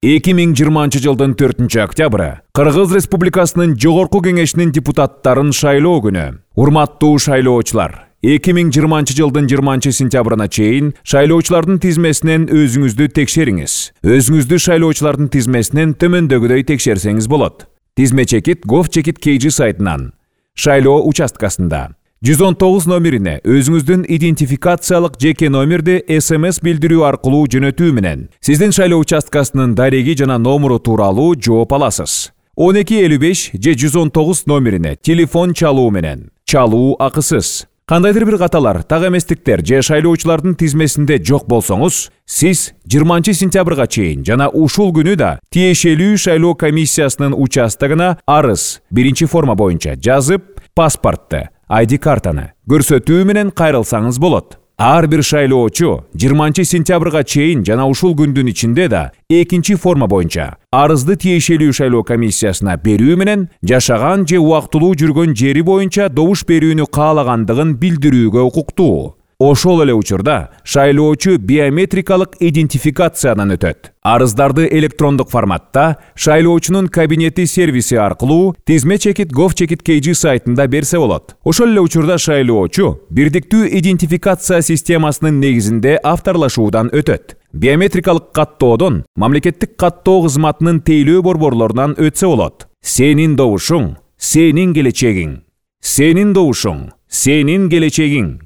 2020 жылдын 4 октябры Кыргыз Республикасынын Жогорку Кеңешинин депутаттарын шайлоо күнү. Урматтуу шайлоочулар, 2020 жылдын 20 сентябрына чейин шайлоочулардын тизмесинен өзүңүздү текшериңиз. Өзүңүздү шайлоочулардын тизмесинен төмөндөгүдөй текшерсеңиз болот. Тизме чекит gov.kg сайтынан шайлоо участкасында 119 номерине өзүңүздүн идентификациялык жеке номерди SMS билдирүү аркылуу жөнөтүү менен сиздин шайлоо участкасынын дареги жана номеру тууралуу жооп аласыз. 1255 же 119 номерине телефон чалуу менен. Чалуу акысыз. Кандайдыр бир каталар, так эместиктер же шайлоочулардын тизмесинде жок болсоңуз, сиз 20 сентябрга чейин жана ушул күнү да тиешелүү шайлоо комиссиясынын участогуна арыз биринчи форма боюнча жазып, паспортты, ID картаны көрсөтүү менен кайрылсаңыз болот. Ар бир шайлоочу 20 сентябрга чейин жана ушул күндүн ичинде да экинчи форма боюнча арызды тиешелүү шайлоо комиссиясына берүү менен жашаган же убактылуу жүргөн жери боюнча добуш берүүнү каалагандыгын билдирүүгө укуктуу. Ошол эле учурда шайлоочу биометрикалык идентификациядан өтөт. Арыздарды электрондук форматта шайлоочунун кабинети сервиси аркылуу тизме чекит gov.kg сайтында берсе болот. Ошол эле учурда шайлоочу бирдиктүү идентификация системасынын негизинде авторлашуудан өтөт. Биометрикалык каттоодон мамлекеттик каттоо кызматынын тейлөө борборлорунан өтсө болот. Сенин добушуң, сенин келечегиң. Сенин добушуң, сенин келечегиң.